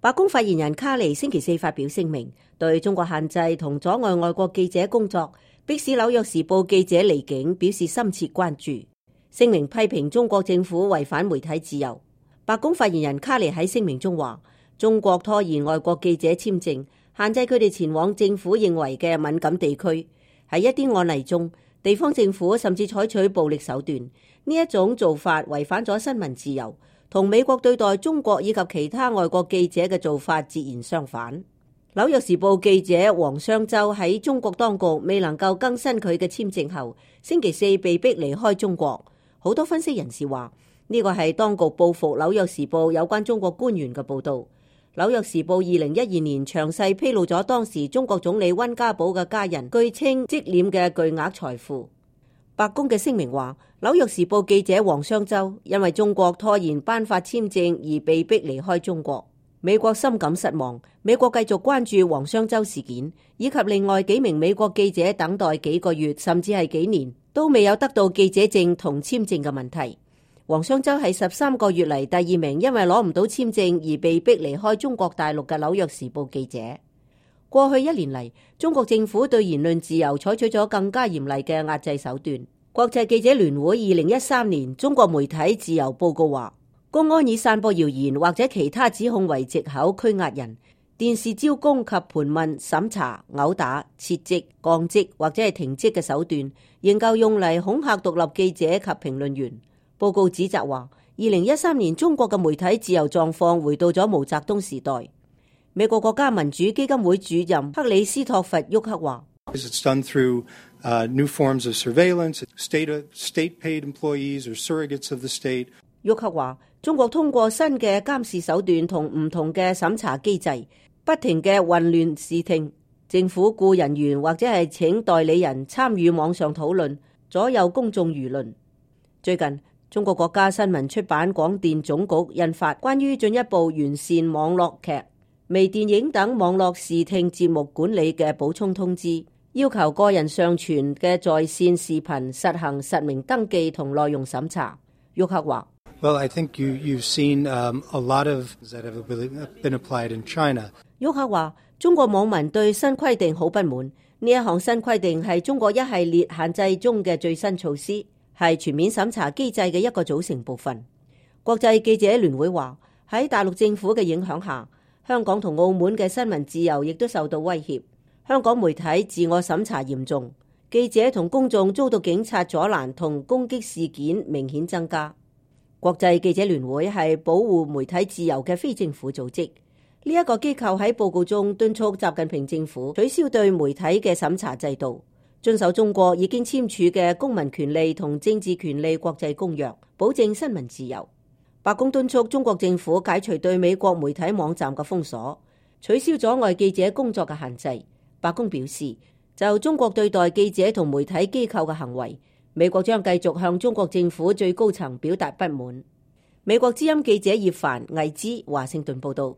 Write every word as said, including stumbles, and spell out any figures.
白宮發言人卡尼星期四發表聲明，對中國限制同阻礙外國記者工作，迫使紐約時報記者離境表示深切關注。聲明批評中國政府違反媒體自由。白宮發言人卡尼喺聲明中話，中國拖延外國記者簽證，限制佢哋前往政府認為嘅敏感地區。喺一啲案例中，地方政府甚至採取暴力手段。呢一種做法違反咗新聞自由，同美國對待中國以及其他外國記者嘅做法截然相反。紐約時報記者王雙舟喺中國當局未能夠更新佢嘅簽證後，星期四被逼離開中國。好多分析人士話，呢個係當局報復紐約時報有關中國官員嘅報導。紐約時報二零一二年詳細披露咗當時中國總理溫家寶嘅家人據稱積攢嘅巨額財富。白宮嘅聲明話，紐約時報記者王雙舟因為中國拖延頒發簽證而被逼離開中國。美國深感失望，美國繼續關注王雙舟事件，以及另外幾名美國記者等待幾個月甚至係幾年都未有得到記者證同簽證嘅問題。王雙舟係十三個月嚟第二名因為攞唔到簽證而被逼離開中國大陸嘅紐約時報記者。過去一年嚟，中國政府對言論自由採取咗更加嚴厲嘅壓制手段。國際記者聯會二零一三年中國媒體自由報告話，公安以散播謠言或者其他指控為藉口拘押人，電視招供及盤問、審查、毆打、撤職、降職或者係停職嘅手段，仍舊用嚟恐嚇獨立記者及評論員。報告指責話，二零一三年中國嘅媒體自由狀況回到咗毛澤東時代。美國國家民主基金會主任克里斯托弗沃克話，沃克話，中國通過新嘅監視手段同唔同嘅審查機制，不停嘅混亂視聽，政府雇人員或者係請代理人參與網上討論，左右公眾輿論。最近，中國國家新聞出版廣電總局印發關於進一步完善網絡劇、微電影等網絡視聽節目管理嘅補充通知，要求個人上傳嘅在線視頻實行實名登記同內容審查。沃克話Well, I think you, you've seen um, a lot of that have been applied in China. 沃克話，中國網民對新規定好不滿。呢一項新規定係中國一系列限制中嘅最新措施，係全面審查機制嘅一個組成部分。國際記者聯會話，喺大陸政府嘅影響下，香港同澳門嘅新聞自由亦都受到威脅。香港媒體自我審查嚴重，記者同公眾遭到警察阻攔同攻擊事件明顯增加。國際記者聯會係保護媒體自由嘅非政府組織，呢一個機構喺報告中敦促習近平政府取消對媒體嘅審查制度，遵守中國已經簽署嘅公民權利同政治權利國際公約，保證新聞自由。白宮敦促中國政府解除對美國媒體網站嘅封鎖，取消阻礙記者工作嘅限制。白宮表示，就中國對待記者同媒體機構嘅行為，美國將繼續向中國政府最高層表達不滿。美國之音記者葉凡、魏之華盛頓報道。